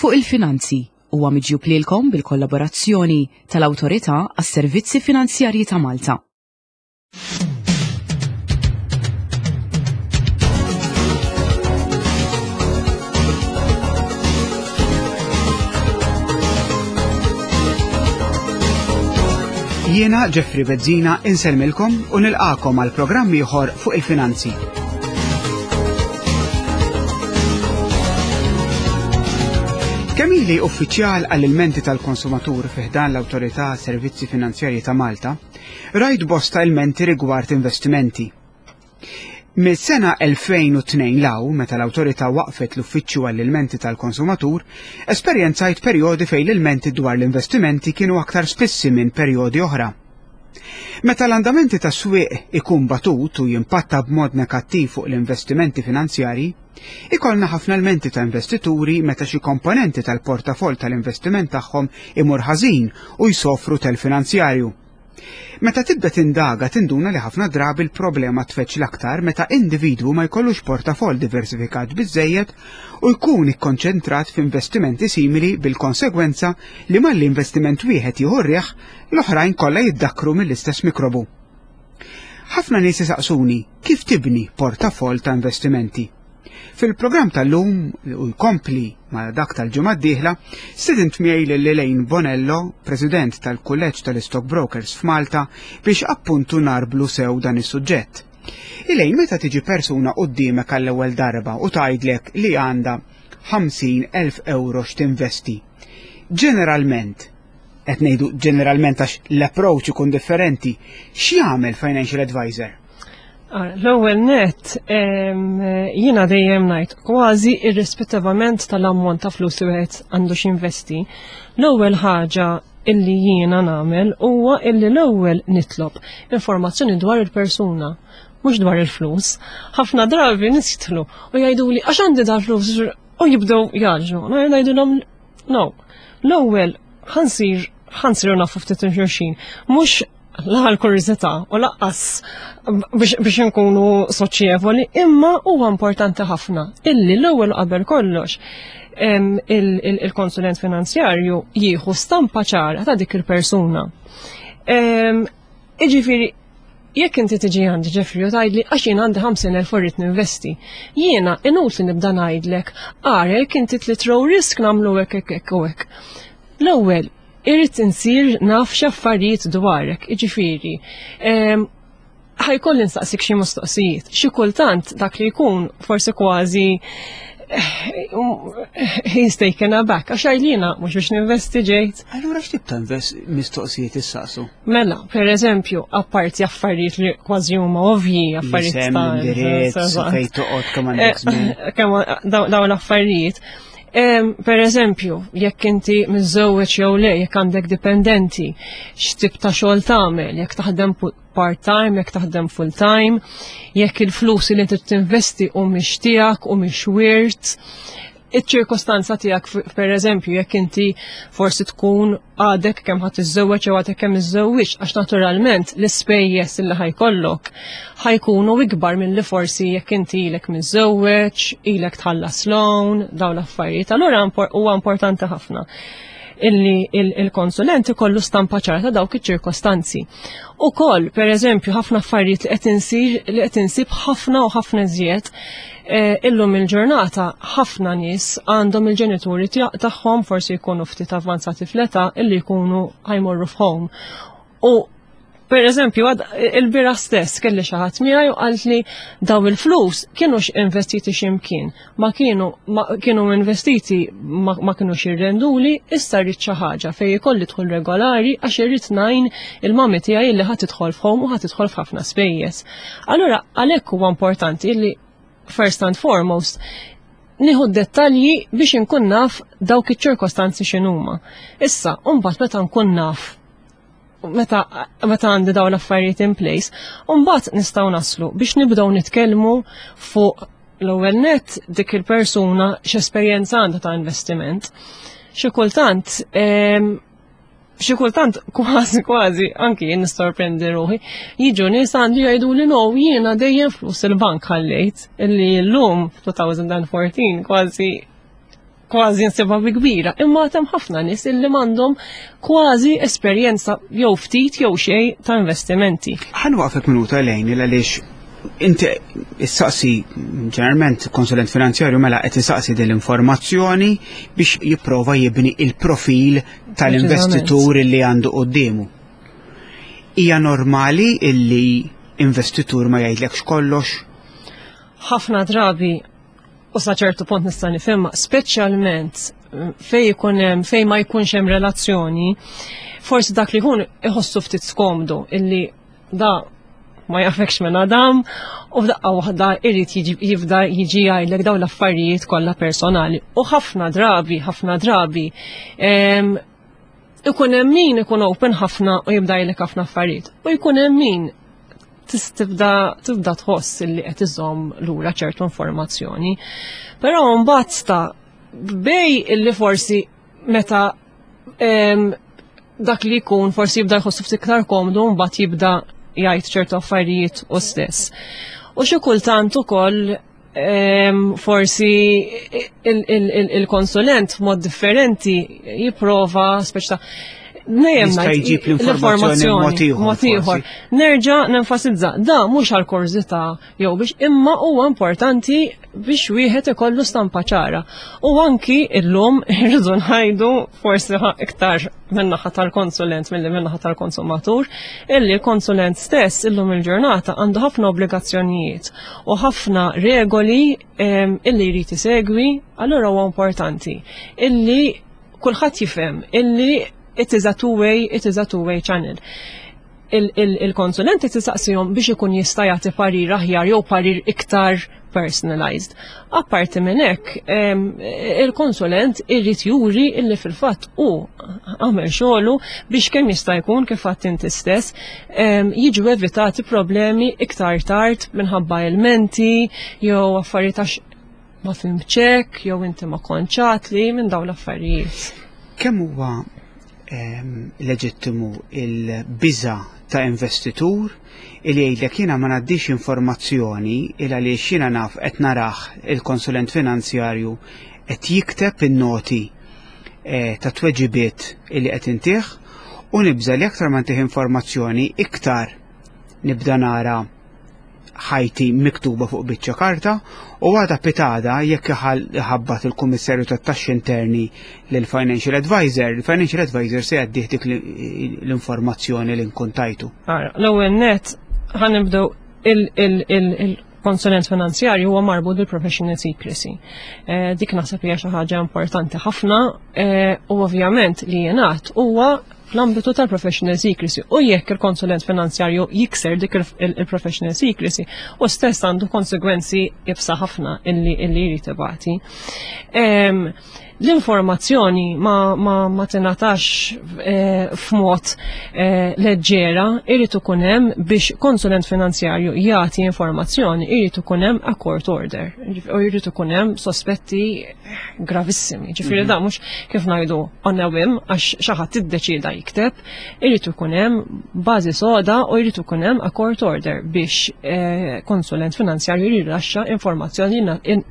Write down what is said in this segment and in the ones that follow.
Fuq il-Finanzi huwa miġjub lilkom bil-kollaborazzjoni tal-Awtorità għas-Servizzi Finanzjarji ta' Malta. Jiena Jeffrey Bezzina insellmilkom u nilqakom għal programm ieħor fuq il-finanzi. Kemm ili uffiċjal għall-ilmenti tal-konsumatur fi ħdan l-Awtorità Servizzi Finanzjarji ta' Malta, rajt bosta ilmenti rigward investimenti. Mis-sena 2002 law, meta l-Awtorità waqfet l-Uffiċċju għall-Ilmenti tal-Konsumatur, esperjenzajt perjodi fejn l-ilmenti dwar l-investimenti kienu aktar spissi minn perjodi oħra. Meta l-andamenti tas-swieq ikun batut u jimpatta b'mod negattiv fuq l-investimenti finanzjarji, ikollna ħafna lmenti ta' investituri meta xi komponenti tal-portafoll tal-investiment tagħhom imur ħażin u jsofru telf finanzjarju. Meta tibda tindaga tinduna li ħafna drabi l-problema tfeġġ l-aktar meta individwu ma jkollux portafoll diversifikat biżżejjed u jkun ikkonċentrat f'investimenti simili bil-konsegwenza li malli investiment wieħed jieħu r-riħ, l-oħrajn kollha jiddakkru mill-istess mikrobu. Ħafna nies isaqsuni kif tibni portafoll ta' investimenti. Fil-programm tal-lum u jkompli ma' dak tal-ġimgħa d-dieħla, stedint miegħi lil Elaine Bonello, President tal-Kulleġġ tal-Stockbrokers f'Malta, biex appuntu narblu sew dan is-suġġett. Elaine, meta tiġi persuna quddiemek għall-ewwel darba u tgħidlek li għandha 50,000 euro x'tinvesti, ġeneralment, qed ngħidu ġeneralment għax l-approach ikun differenti, x'jagħmel financial advisor? L-ewwel nett jiena dejjem ngħid kważi irrispettivament tal-ammont ta' flus li wieħed għandu x'investi, l-ewwel ħaġa illi jiena nagħmel huwa illi l-ewwel nitlob informazzjoni dwar il-persuna mhux dwar il-flus. Ħafna drabi nies jidħlu u jgħiduli għax għandi dal-flus u jibdew jaġnu. Ngħidulhom no. L-ewwel ħansir ħansiru nafu ftit xulxin. Mhux la l-kurżità u laqqas biex nkunu soċjevoli, imma huwa importanti ħafna illi l-ewwel qabel kollox il-konsulent finanzjarju jieħu stampa ċara ta' dik il-persuna. Iġifieri, jekk inti tiġi għandi Ġeffri u tgħidli għax jien għandi 50,000 u rrid ninvesti, jiena inutli nibda ngħidlek ara jekk inti trid low risk nagħmlu hekk hekk hekk u hekk. L-ewwel, irrid insir naf x'affarijiet dwarek, jiġifieri, ħajkolli nsaqsik xi mistoqsijiet. Xi kultant dak li jkun forsi kważi he's taken aback, għax għajlina mhux biex ninvesti ġejt. Allura x'tip ta' mistoqsijiet issaqsu? Mela, per eżempju, apparti affarijiet li kważi huma ovvji, affarijiet ta' indirizz, fejn toqgħod kemm għandek żmien. Kemm dawn l-affarijiet. Per eżempju, jekk inti miżżewweġ jew le, jekk għandek dipendenti, x'tip ta' xogħol tagħmel, jekk taħdem part-time, jekk taħdem full-time, jekk il-flus li inti tinvesti u mhix tiegħek u mhix wirt, iċ-ċirkostanza tiegħek per eżempju jekk inti forsi tkun għadek kemm ħadd iżżewweġ jew għadek kemm iżżewwiġ għax naturalment l-ispejjeż li ħajkollok ħajkunu ikbar milli forsi jekk inti ilek miżżewweġ, ilek tħallas loan, dawn l-affarijiet. Allura huwa importanti ħafna illi il-konsulent ikollu stampa ċara ta' dawk iċ-ċirkostanzi. Ukoll, per eżempju, ħafna affarijiet li qed insir li qed insib ħafna u ħafna iżjed eh, illum il-ġurnata ħafna nies għandhom il-ġenituri tagħhom forsi jkunu ftit avvanzati fl-età illi jkunu ħajmorru f'home. U Per eżempju, il-bira stess kelli xi ħadd miegħi u qalt li daw il-flus kienu investiti x'imkien, ma kienu ma kienu investiti ma, ma kienu xirrenduli, issa rrid xi ħaġa fejn ikolli dħul regolari għax irrid ngħin il-mami tiegħi li ħadd tidħol f'home u ħadd tidħol f'ħafna spejjeż. Allura għalhekk huwa importanti li first and foremost nieħu dettalji biex inkun naf dawk iċ-ċirkostanzi x'inhuma. Issa, mbagħad meta nkun naf meta meta għandi dawn l-affarijiet in place, mbagħad nistgħu naslu biex nibdew nitkellmu fuq l-ewwel net dik il-persuna x'esperjenza għandha ta' investiment. Xi kultant xi kultant kważi kważi anki jien nissorprendi ruħi, jiġu nies għandi jgħidu li no jiena dejjem flus il-bank ħallejt illi llum 2014 kważi. kważi nsibha bi kbira, imma hemm ħafna nies illi m'għandhom kważi esperjenza jew ftit jew xejn ta' investimenti. Ħa nwaqfek minuta lejn għaliex inti issaqsi ġeneralment konsulent finanzjarju mela qed isaqsi din l-informazzjoni biex jipprova jibni il-profil tal-investitur li għandu quddiemu. Hija normali illi investitur ma jgħidlekx kollox? Ħafna drabi u sa ċertu punt nista' nifhimha, speċjalment fej ikun hemm fej ma jkunx hemm relazzjoni, forsi dak li jkun iħossu ftit skomdu illi da ma jafekx minn Adam u f'daqqa waħda irid jibda jiġi jgħidlek dawn l-affarijiet kollha personali. U ħafna drabi, ħafna drabi, ikun hemm min ikun open ħafna u jibda jgħidlek ħafna affarijiet. U jkun hemm min tibda tibda tħoss li qed iżomm lura ċertu informazzjoni. Però mbagħad sta bej illi forsi meta dak li jkun forsi jibda jħossu ftit iktar komdu mbagħad jibda jgħid ċertu affarijiet u stess. U xi kultant ukoll forsi il-konsulent mod differenti jipprova speċta Dejjem jġib l-informazzjoni mod ieħor. Nerġa' nenfasizza, da mhux għal kurżità jew biex imma huwa importanti biex wieħed ikollu stampa ċara. U anki illum irridu ngħidu forsi iktar min-naħa tal-konsulent milli min-naħa tal-konsumatur, illi l-konsulent stess illum il-ġurnata għandu ħafna obbligazzjonijiet u ħafna regoli illi jrid isegwi, allura huwa importanti illi kulħadd jifhem illi it is a two-way, it is a two-way channel. Il-konsulenti tisaqsihom biex ikun jista' jagħti parir aħjar jew parir iktar personalized. Apparti minn hekk, il-konsulent irrid juri illi fil-fatt hu għamel xogħlu biex kemm jista' jkun kif għadt inti stess jiġu evitati problemi iktar tard minħabba ilmenti jew affarijiet għax ma fhimtx jew inti ma kontx li minn dawn l-affarijiet. Kemm huwa leġittimu il-biża ta' investitur il jgħidlek jiena ma ngħaddix informazzjoni il għaliex jiena naf qed narah il-konsulent finanzjarju qed jikteb in-noti ta' tweġibiet illi qed intih u nibża li aktar ma ntih informazzjoni iktar nibda nara ħajti miktuba fuq biċċa karta u għada pitgħada jekk iħabbat il-Kummissarju tat-Taxxi Interni lil Financial Advisor, il-Financial Advisor se jgħaddih dik l-informazzjoni li nkun tajtu. Ara, l-ewwel net ħa nibdew il-konsulent finanzjarju huwa marbut bil-professional secrecy. Dik naħseb hija xi ħaġa importanti ħafna u ovvjament li jingħad huwa fl-ambitu tal-professional secrecy u jekk il-konsulent finanzjarju jikser dik il-professional secrecy u stess għandu konsegwenzi iebsa ħafna illi jrid ibati. L-informazzjoni ma tingħatax f'mod leġġera, irid ikun hemm biex konsulent finanzjarju jagħti informazzjoni, irid ikun hemm a court order u jrid ikun hemm sospetti gravissimi. Ġifieri da mhux kif ngħidu on a whim għax xi ħadd iddeċieda jikteb, irid ikun hemm bażi soda u jrid ikun hemm a court order biex konsulent finanzjarju jirrilaxxa informazzjoni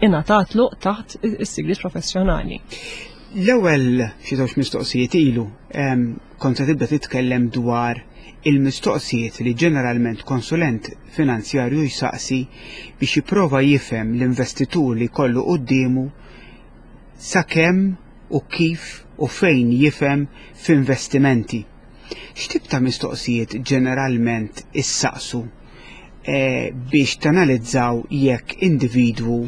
ingħatatlu taħt is-sigriet professjonali. L-ewwel xi żewġ mistoqsijiet ilu kont se tibda titkellem dwar il-mistoqsijiet li ġeneralment konsulent finanzjarju jsaqsi biex jipprova jifhem l-investitur li jkollu quddiemu sakemm u kif u fejn jifhem f'investimenti. X'tip ta' mistoqsijiet ġeneralment issaqsu biex tanalizzaw jekk individwu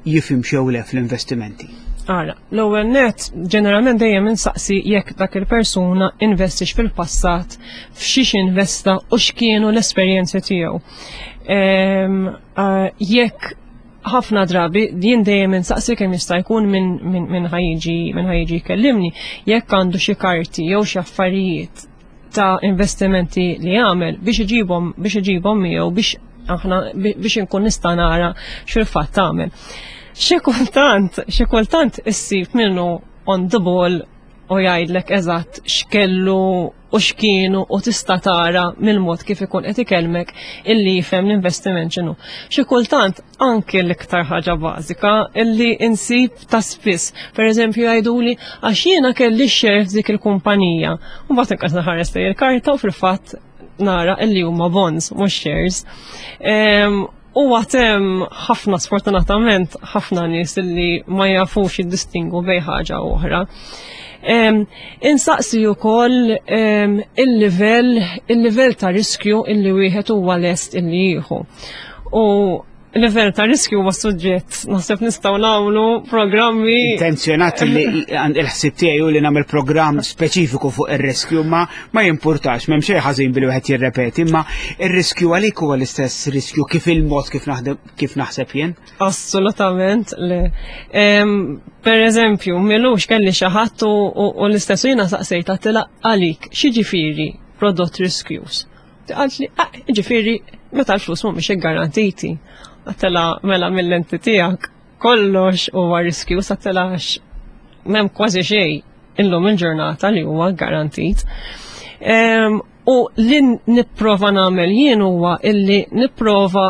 jifhim jew le fl-investimenti? Ara, l-ewwel net ġeneralment dejjem insaqsi jekk dak il-persuna investix fil-passat, f'xiex investa u x'kienu l-esperjenzi tiegħu. Jekk ħafna drabi jien dejjem insaqsi kemm jista' jkun minn ħa jiġi min ħa jiġi jkellimni jekk għandu xi karti jew xi affarijiet ta' investimenti li jagħmel biex iġibhom miegħu biex aħna biex inkun nista' nara x'fil-fatt tagħmel. Xi kultant, xi kultant issib minnu on the ball. u jgħidlek eżatt x'kellu u x'kienu u tista' tara mill-mod kif ikun qed ikellmek illi jifhem l-investiment x'inhu. Xi kultant anke l-iktar ħaġa bażika illi insib ta' spiss. Per eżempju jgħiduli għax jiena kelli share f'dik il-kumpanija. U mbagħad inqas naħares lejn il-karta u fil-fatt nara illi huma bonds mhux shares. U għatem ħafna sfortunatament ħafna nies illi ma jafux jiddistingu bejn ħaġa u oħra. Insaqsi wkoll il-livell il-livell ta' riskju illi wieħed huwa lest illi jieħu. U livell ta' riskju huwa suġġett naħseb nistgħu nagħmlu programmi. Intenzjonat li il-ħsieb tiegħi hu li nagħmel programm speċifiku fuq ir-riskju ma ma jimpurtax m'hemm xejn ħażin billi wieħed jirrepeti, imma ir-riskju għalik huwa l-istess riskju kif il-mod kif naħdem kif naħseb jien? Assolutament le. Per eżempju, milux kelli xi ħadd u l-istess jiena saqsejta tilha għalik x'jiġifieri prodott riskjuż. Għalt li, ah, ġifiri, meta l-flus mhumiex iggarantiti. Għatela mela mill-lenti tiegħek kollox huwa riskju sa telax m'hemm kważi xejn illum il-ġurnata li huwa garantit. U li nipprova nagħmel jien huwa illi nipprova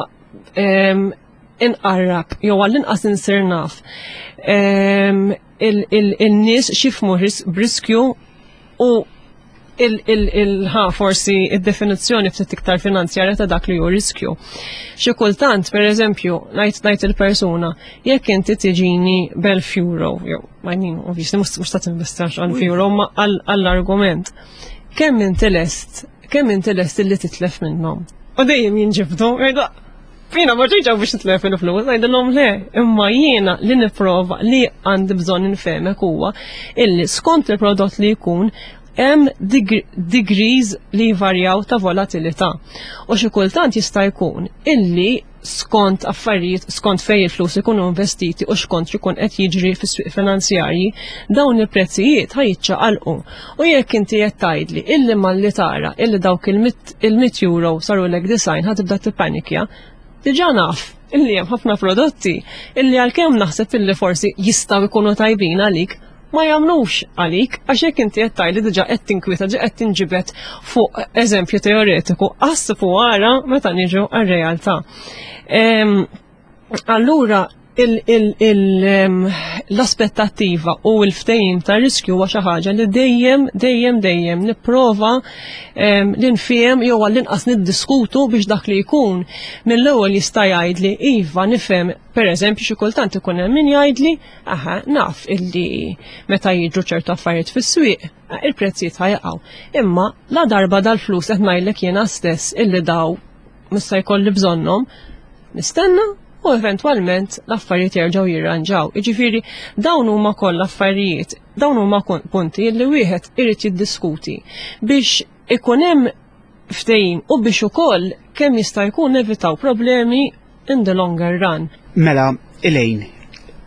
inqarrab jew għall-inqas insir naf il-nies xifmu b'riskju u il-ħa forsi id-definizzjoni ftit iktar finanzjarja ta' dak li hu riskju. Xi kultant, per eżempju, ngħid ngħid il-persuna, jekk inti tiġini b'elf euro, jew I mean, obviously mhux ta' tinvestax għal euro, ma għall-argument. Kemm inti lest, kemm inti lest illi titlef minnhom? U dejjem jinġibdu, jgħidu, Jiena ma ġejġa biex nitlef il-flus, ngħidilhom le, imma jiena li nipprova li għandi bżonn infehmek huwa illi skont il-prodott li jkun hemm degrees li jvarjaw ta' volatilità. U xi kultant jista' jkun illi skont affarijiet, skont fej il-flus ikunu investiti u skont jkun qed jiġri fis-swieq finanzjarji, dawn il-prezzijiet ħa jiċċaqalqu. U jekk inti qed tgħidli illi malli tara illi dawk il-100 euro sarulek design ħa tibda tippanikja, diġà naf illi hemm ħafna prodotti illi għalkemm naħseb illi forsi jistgħu jkunu tajbin għalik, ma jagħmlux għalik għax jekk inti qed tgħidli diġà qed tinkwieta ġa qed tinġibed fuq eżempju teoretiku, aħseb u ara meta niġu għar-realtà. Allura l-aspettattiva u l-ftehim ta' riskju huwa xi ħaġa li dejjem, dejjem, dejjem nipprova li nfiem jew għall-inqas niddiskutu biex dak li jkun mill-ewwel jista' jgħidli iva nifhem, pereżempju xi kultant ikun hemm min jgħidli aha naf illi meta jiġu ċertu affarijiet fis-swieq il-prezzijiet ħajqgħu. Imma la darba dal-flus qed ngħidlek jiena stess illi daw mista jkolli bżonnhom, nistenna u eventwalment l-affarijiet jerġgħu jirranġaw. Jiġifieri dawn huma kollha affarijiet, dawn huma punti li wieħed irid jiddiskuti biex ikun hemm ftehim u biex ukoll kemm jista' jkun nevitaw problemi in the longer run. Mela, Elaine,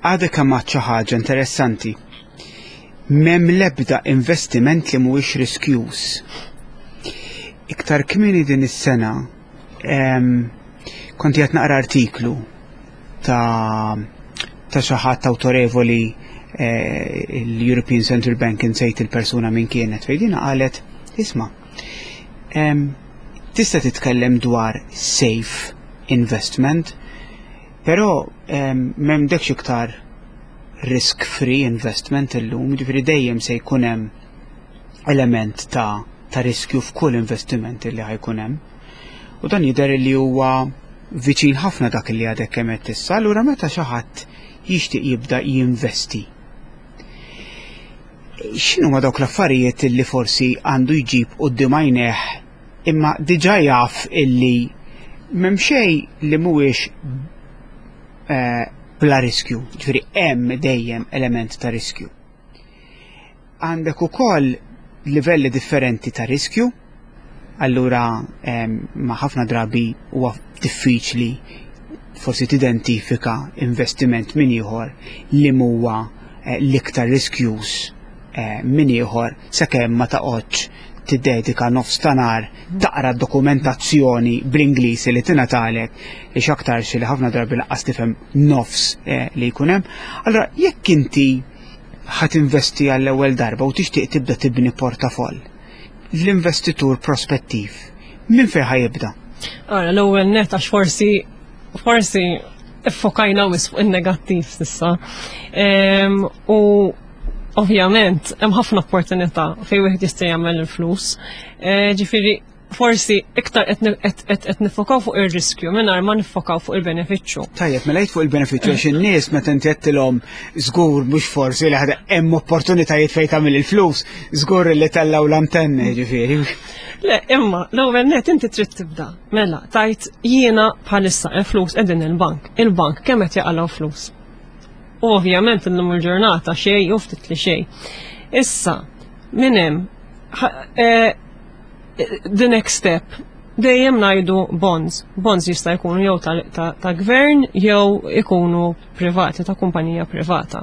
għadek kemm għedt xi ħaġa interessanti. M'hemm l-ebda investiment li mhuwiex riskjuż. Iktar kmieni din is-sena kont qed naqra artiklu ta' ta' xi ħadd awtorevoli eh, l-European Central Bank insejt il-persuna min kienet fejn dina qalet isma' tista' titkellem dwar safe investment, però m'hemmx iktar risk free investment illum, ġifieri dejjem se jkun hemm element ta' ta' riskju f'kull investiment li ħa jkun hemm. U dan jidher li huwa viċin ħafna dak li għadek kemm qed issa, allura meta xi ħadd jixtieq jibda jinvesti. X'inhu ma dawk l-affarijiet li forsi għandu jġib quddiem għajnejh imma diġà jaf illi m'hemm xejn li mhuwiex eh, bla riskju, ġifieri hemm dejjem element ta' riskju. Għandek ukoll livelli differenti ta' riskju, allura ma ħafna drabi huwa diffiċli forsi tidentifika investiment minn ieħor li huwa eh, l-iktar riskjuż eh, minn ieħor sakemm ma taqgħodx tiddedika nofs ta' nhar taqra dokumentazzjoni bl-Ingliż li tingħatalek li x'aktarx li ħafna drabi lanqas tifhem nofs eh, li jkun hemm. Allura jekk inti. ħa tinvesti għall-ewwel darba u tixtieq tibda tibni portafoll, l-investitur prospettiv minn fejn ħa jibda? Ara, l-ewwel net għax forsi forsi iffokajna wisq fuq in-negattiv s'issa. U ovvjament hemm ħafna opportunità fejn wieħed jista' jagħmel il-flus. Eh, ġifieri forsi iktar qed nifokaw fuq ir-riskju mingħajr ma nifokaw fuq il-benefiċċju. Tajjeb, mela fuq il-benefiċċju għax in-nies meta inti qedtilhom żgur mhux forsi li ħada hemm opportunitajiet fejn tagħmel il-flus, żgur li tellgħu l-antenni ġifieri. Le, imma l-ewwel net inti trid tibda. Mela, tajt jiena bħalissa il-flus qegħdin il-bank. Il-bank kemm qed jaqalgħu flus. U ovvjament illum il-ġurnata xejn u ftit li xejn. Issa, minn hemm eh, the next step dejjem ngħidu bonds. Bonds jista' jkunu jew ta', ta, ta gvern jew ikunu privati, ta' kumpanija privata.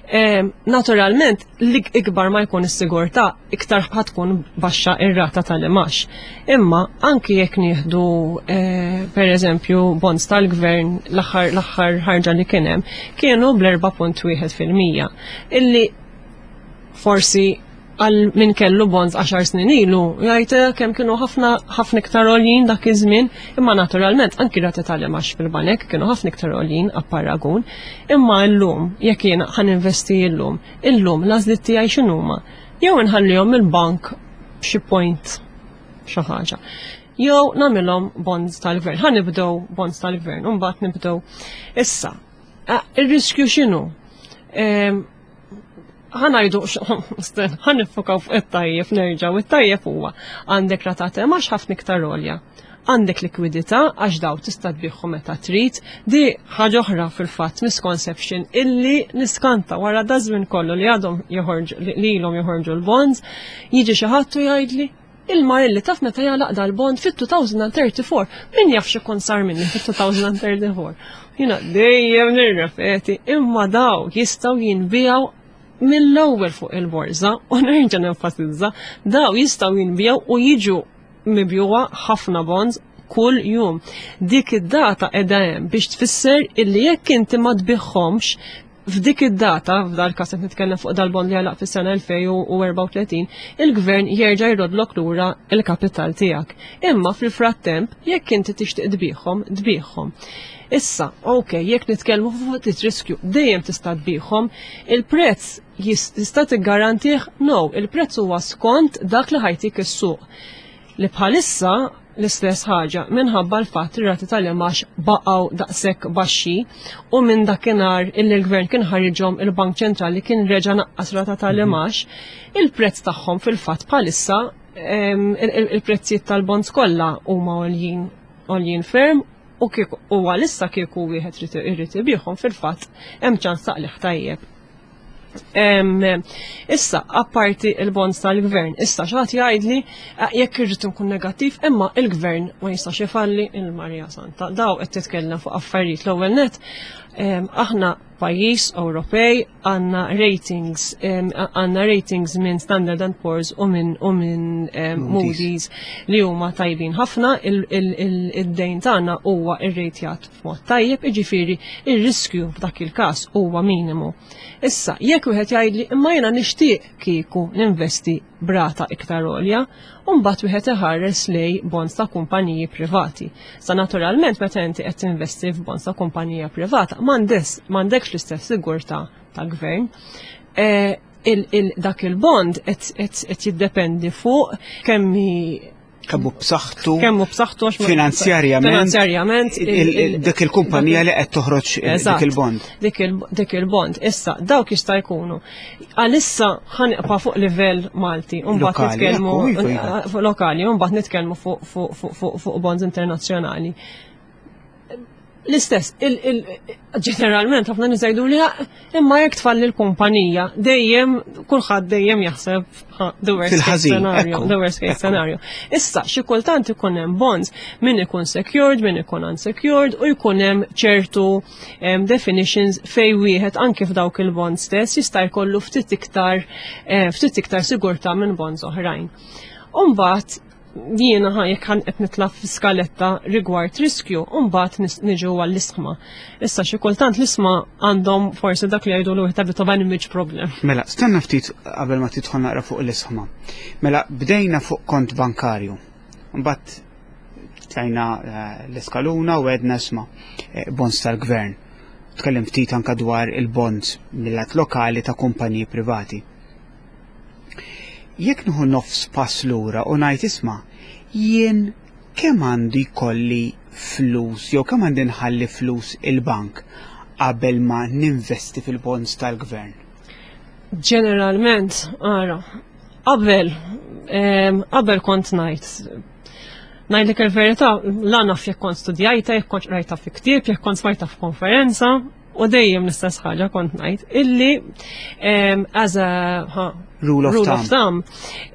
E, naturalment, li ikbar ma jkun is-sigurtà, iktar tkun baxxa ir-rata tal-imax. Imma anki jekk nieħdu e, per eżempju bonds tal-gvern l-aħħar ħarġa li kien hemm, kienu bl-4.1 fil-mija. Illi forsi għal min kellu bonds 10 snin ilu, jgħid eh, kemm kienu ħafna ħafna iktar għoljin dak iż-żmien, imma naturalment anki rati tal-imax fil-banek kienu ħafna iktar għoljin apparagun, imma llum jekk jiena ħan investi llum, illum l-għażliet tiegħi x'inhuma? Jew inħallihom il-bank b'xi point xi ħaġa. Jew nagħmilhom bonds tal-gvern. Ħa nibdew bonds tal-gvern, u mbagħad nibdew. Issa, eh, ir-riskju x'inhu? Ehm, ħanajdu, ħan nifokaw fuq it-tajjeb nerġaw, it-tajjeb huwa għandek rata għax ħafna iktar għolja. Għandek likwidità għax daw tista' tbieħu meta trid, di ħaġa oħra fil-fatt misconception illi niskanta wara dażmin kollu li għadhom joħorġu li ilhom joħorġu l-bonds, jiġi xi ħadd u jgħidli il-mar illi taf meta jagħlaq dal-bond fit-2034, min jaf x'ikun sar minni fit-2034. Jiena dejjem nirrepeti, imma daw jistgħu jinbijaw mill-ewwel fuq il-borża u nerġa' nenfasizza, daw jistgħu jinbijaw u jiġu mibjuwa ħafna bonds kull jum. Dik id-data qiegħda hemm biex tfisser illi jekk inti ma tbiħħomx F'dik id-data, f'dal-każ qed nitkellem fuq dal-bond li għalaq fis-sena 2034, il-gvern jerġa' jroddlok lura l-kapital tiegħek. Imma fil-frattemp, jekk inti tixtieq tbigħhom, tbigħhom. Issa, ok, jekk nitkellmu fuq ftit riskju, dejjem tista' tbigħhom, il-prezz tista' tiggarantih? No, il-prezz huwa skont dak li ħajtik is-suq. Li bħalissa l-istess ħaġa minħabba l-fatt li rati tal-imax baqgħu daqshekk baxxi u minn dakinhar illi l-gvern kien ħariġhom il-Bank Ċentrali kien reġa' naqqas rata tal-imax, il-prezz tagħhom fil-fatt bħalissa il-prezzijiet tal-bonds kollha huma għoljin għoljin ferm u kieku u għalissa kieku wieħed irid ibigħhom fil-fatt hemm ċans taqliħ tajjeb. Issa, apparti il-bonds tal-gvern, issa xaħat jgħidli eh, jekk irrid nkun negattiv, imma il-gvern ma jistax ifalli il-Marija Santa. Daw qed titkellem fuq affarijiet l-ewwel net, aħna pajjiż Ewropej għandna ratings għandna ratings minn Standard and Poor's u minn u minn Moody's li huma tajbin ħafna id-dejn tagħna huwa rrejtjat f'mod tajjeb, jiġifieri ir-riskju f'dak il-każ huwa minimu. Issa, jekk wieħed jgħidli imma jiena nixtieq kieku ninvesti brata iktar għolja, u mbagħad wieħed iħares lej bonds ta' kumpaniji privati. Sa naturalment meta inti qed tinvesti f'bonds ta' kumpanija privata, m'għandekx l-istess sigurtà ta' gvern. E, dak il-bond qed jiddependi fuq kemm Kemmu b'saħħtu. Kemmu b'saħħtu għax finanzjarjament. Finanzjarjament. Dik il-kumpanija li qed toħroġ dik il-bond. Dik il-bond. Issa, dawk jista' jkunu. Għalissa ħanibqa' fuq livell Malti, u mbagħad nitkellmu iva, iva. fuq lokali, u mbagħad nitkellmu fuq bonds internazzjonali. L-istess, ġeneralment ħafna nies jgħidu li imma jekk tfalli l-kumpanija, dejjem kulħadd dejjem jaħseb the worst case scenario, the worst case scenario. Issa xi kultant ikun hemm bonds min ikun secured, min ikun unsecured u jkun hemm ċertu definitions fej wieħed anke f'dawk il-bonds stess jista' jkollu ftit iktar ftit iktar sigurtà minn bonds oħrajn. Umbagħad. Jiena ħa jekk ħan qed nitla' f'skaletta rigward riskju, u mbagħad niġu għall-isħma. Issa xi kultant l-isma għandhom forsi dak li jgħidu l bit of an image problem. Mela, stenna ftit qabel ma tidħol naqra fuq l-isħma. Mela, bdejna fuq kont bankarju. Mbagħad tlajna eh, l-iskaluna u għedna isma' eh, bonds tal-gvern. Tkellim ftit anka dwar il-bonds mill-lat lokali ta' kumpaniji privati. Jekk nieħu nofs pass lura u ngħid isma' jien kemm għandu jkolli flus jew kemm għandi nħalli flus il-bank qabel ma ninvesti fil-bonds tal-gvern? Ġeneralment, ara, qabel qabel kont ngħid ngħidlek il-verità, la naf jekk kont studjajta, jekk kont rajta fi ktieb, jekk kont smajta f'konferenza, u dejjem l-istess ħaġa kont ngħid illi as a rule of rule of thumb,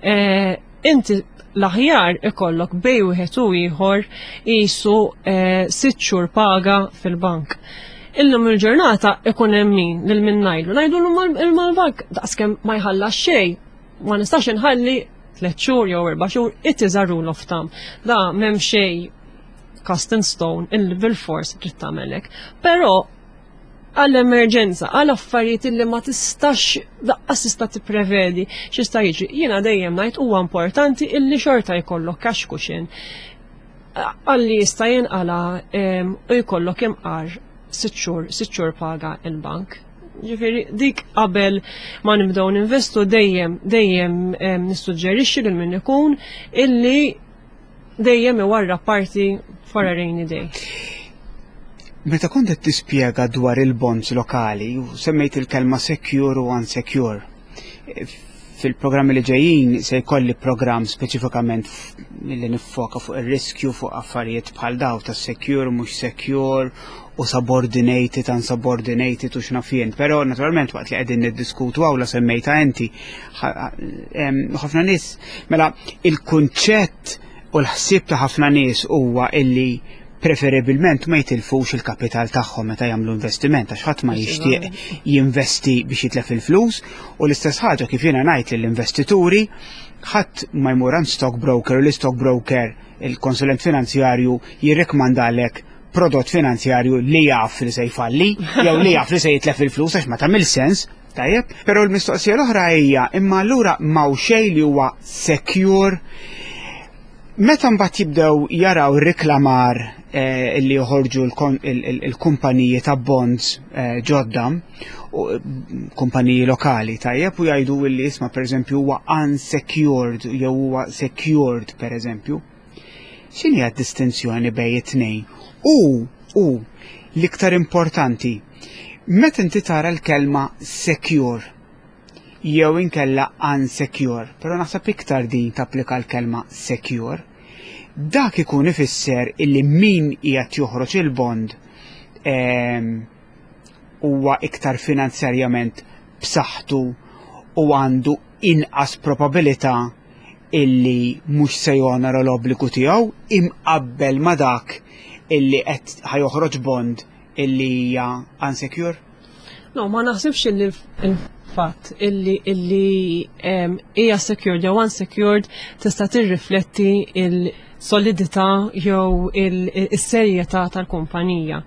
eh, inti l-aħjar ikollok bej wieħed u ieħor qisu eh, sitt xhur paga fil-bank. Illum il-ġurnata ikun hemm min lil min ngħidlu, ngħidu l-mal-bank daqskemm ma jħallas xejn, ma nistax inħalli tliet xhur jew erba' xhur, it is a rule of thumb. Da m'hemm xejn cast in stone illi bil-fors trid tagħmel hekk. Però għall-emerġenza, għal affarijiet illi ma tistax daqqas tista' tipprevedi x'jista' jiġri. Jiena dejjem ngħid huwa importanti illi xorta jkollok cash cushion għalli jista' jinqala u jkollok imqar sitt xhur, sitt xhur paga il-bank. Ġifieri dik qabel ma nibdew ninvestu dejjem dejjem nissuġġerixxi lil min ikun illi dejjem iwarra parti for a rainy day. Meta kont qed tispjega dwar il-bonds lokali, u semmejt il-kelma secure u unsecure. Fil-programmi li ġejjin se jkolli programm speċifikament li niffoka fuq ir-riskju fuq affarijiet bħal daw ta' secure, mhux secure, u subordinated, unsubordinated u x'naf jien. Però naturalment waqt li qegħdin niddiskutu hawn la semmejta inti ħafna nies mela il-kunċett u l-ħsieb ta' ħafna nies huwa illi preferibilment ma jitilfux il-kapital tagħhom meta jagħmlu investiment għax ħadd ma jixtieq jinvesti biex jitlef il-flus u l-istess ħaġa kif jiena ngħid lill-investituri ħadd ma jmur għand stockbroker u l-stockbroker il-konsulent finanzjarju jirrikmandalek prodott finanzjarju li jaf li se jfalli jew li jaf li se jitlef il-flus għax ma tagħmel sens, tajjeb. Però l-mistoqsija l-oħra hija imma allura m'hawn xejn li huwa secure. Meta mbagħad jibdew jaraw riklamar eh, li joħorġu l-kumpaniji ta' bonds eh, ġodda, kumpaniji lokali tajjeb u jgħidu li isma' pereżempju huwa unsecured jew huwa secured pereżempju. X'inhi d-distinzjoni bejn it-tnejn? U, u, l-iktar importanti, meta inti tara l-kelma secure jew inkella unsecure, però naħseb iktar din tapplika l-kelma secure, dak ikun ifisser illi min qiegħed joħroġ il-bond ehm, huwa iktar finanzjarjament b'saħħtu u għandu inqas probabilità illi mhux se jonora l-obbligu tiegħu imqabbel ma' dak illi qed ħajoħroġ bond illi hija unsecure? No, ma naħsibx illi il-fatt illi illi hija secured jew unsecured tista' tirrifletti il-solidità jew il-serjetà tal-kumpanija.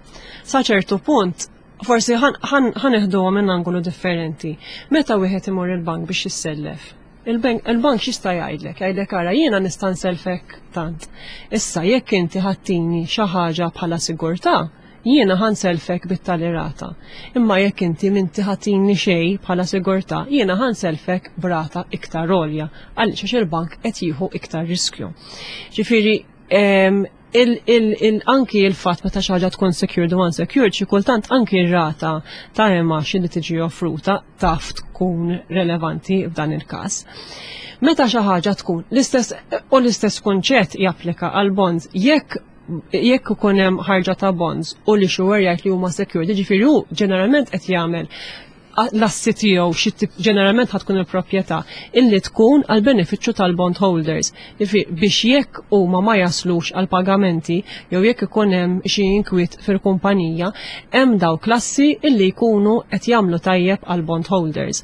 Sa ċertu punt, forsi ħa neħduha minn angolu differenti. Meta wieħed imur il-bank biex jissellef, il-bank x'jista' jgħidlek? Jgħidlek ara jiena nista' nselfek tant. Issa jekk inti ħa ttini xi ħaġa bħala sigurtà, jiena ħa nselfek bit-tali rata. Imma jekk inti m'inti ħa ttini xejn bħala sigurtà, jiena ħa nselfek b'rata iktar għolja għaliex għax il-bank qed jieħu iktar riskju. Ġifieri anki il-fatt meta xi ħaġa tkun secured u unsecured, xi kultant anki r-rata ta' imgħax li tiġi offruta taf tkun relevanti f'dan il-każ. Meta xi ħaġa tkun l-istess u l-istess kunċett japplika għal bonds jekk jekk ikun hemm ħarġa ta' bonds u li issuer jgħid li huma secured, jiġifieri hu ġeneralment qed jagħmel l-assi tiegħu xi tip ġeneralment ħa tkun il-proprjetà illi tkun għal benefiċċju tal-bond holders. Biex jekk huma ma jaslux għal pagamenti jew jekk ikun hemm xi inkwiet fil-kumpanija, hemm dawk l-assi illi jkunu qed jagħmlu tajjeb għal bond holders.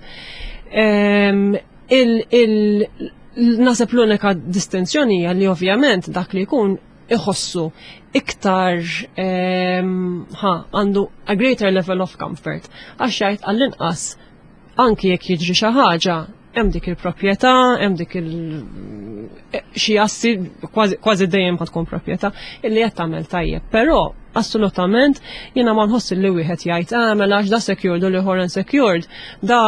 Naħseb l-unika distinzjoni hija li ovvjament dak li jkun iħossu iktar ħa għandu a greater level of comfort għax jgħid għall-inqas anki jekk jiġri xi ħaġa hemm dik il-proprjetà, hemm dik il xi assi kważi dejjem ħad tkun proprjetà illi qed tagħmel tajjeb. Però assolutament jiena ma nħoss li wieħed jgħid ah mela għax da secured u l-ieħor unsecured, da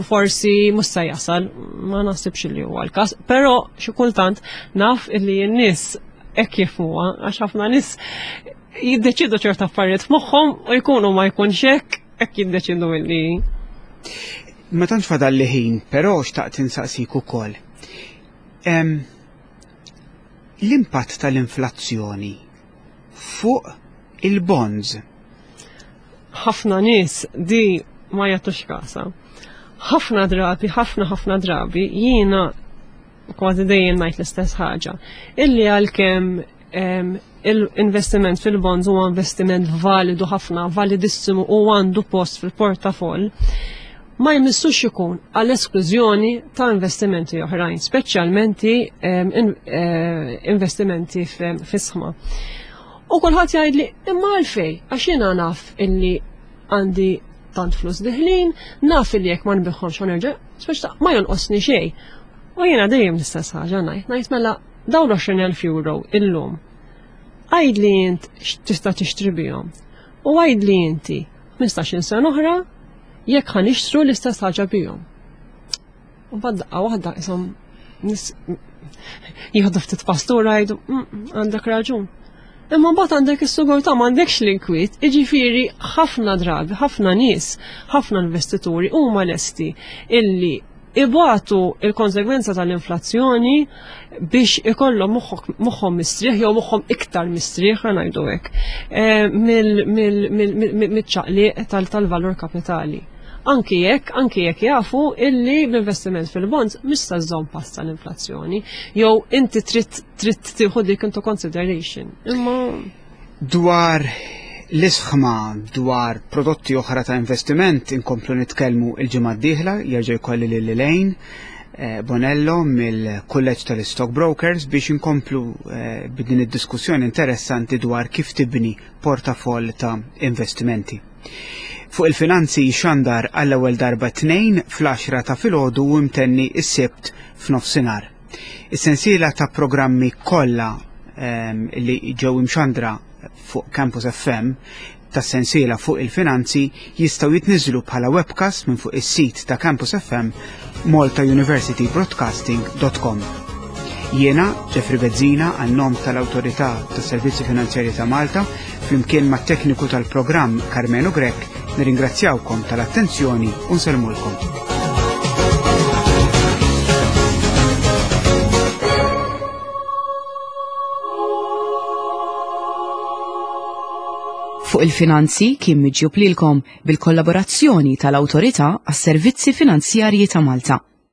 forsi mhux se jasal, ma naħsibx li huwa l-każ, però xi kultant naf illi n-nies hekk jifhmuha għax ħafna nies jiddeċidu ċerta affarijiet f'moħħhom u jkunu ma jkunx hekk, hekk jiddeċidu illi. Ma tantx fadal li ħin, però xtaqt insaqsik ukoll. L-impatt tal-inflazzjoni fuq il-bonds. Ħafna nies di ma jagħtux kasa. Ħafna drabi, ħafna ħafna drabi jiena kważi dejjem ngħid l-istess ħaġa. Illi għalkemm l-investiment fil-bonds huwa investiment validu ħafna, validissimu u għandu post fil-portafoll, ma jmissux ikun għall esklużjoni ta' investimenti oħrajn, speċjalment investimenti fis-sħma. U kulħadd jgħidli imma għalfej, għax jiena naf illi għandi tant flus diħlin, naf illi jekk ma nbiħħomx ħa nerġa', speċta ma jonqosni xejn. U jiena dejjem l-istess ħaġa ngħid, ngħid mela dawn 20,000 euro illum. Għidli int x'tista' tixtri bihom. U għidli inti 15-il sena oħra jekk ħa nixtru l-istess ħaġa bihom. U mbagħad daqqa waħda ishom nis jieħdu ftit pastura jgħidu għandek raġun. Imma mbagħad għandek is-sigurtà m'għandekx l-inkwiet, jiġifieri ħafna drabi, ħafna nies, ħafna investituri huma lesti illi ibatu il-konsegwenza tal-inflazzjoni biex ikollhom moħħhom mistrieħ jew moħħhom iktar mistrieħ ħa ngħidu hekk eh, mill-ċaqliq tal-valur kapitali. Anki jekk, anki jekk jafu illi l-investiment fil-bonds mhux se żżomm pass tal-inflazzjoni jew inti trid trid tieħu dik into consideration. Imma Dwar l-isħma dwar prodotti oħra ta' investiment inkomplu nitkellmu il-ġimgħa d-dieħla jerġa' jkolli lil Elaine eh, Bonello mill-Kulleġġ tal-Stockbrokers biex inkomplu eh, b'din id-diskussjoni interessanti dwar kif tibni portafoll ta' investimenti. Fuq il-finanzi xandar għall-ewwel darba tnejn fl-10 ta' filgħodu u imtenni s-Sibt f'nofsinhar. Is-sensiela ta' programmi kollha ehm, li ġew imxandra fuq Campus FM tas-sensiela fuq il-finanzi jistgħu jitniżlu bħala webcast minn fuq is-sit ta' Campus FM maltauniversitybroadcasting.com. Jiena, Jeffrey Bezzina, għan-nom tal-Awtorità tas-Servizzi Finanzjarji ta' Malta, flimkien mat-tekniku tal-programm Karmenu Grech, nirringrazzjawkom tal-attenzjoni u nsellmulkom. Fuq il-finanzi kien miġjub lilkom bil-kollaborazzjoni tal-Awtorità għas-Servizzi Finanzjarji ta' Malta.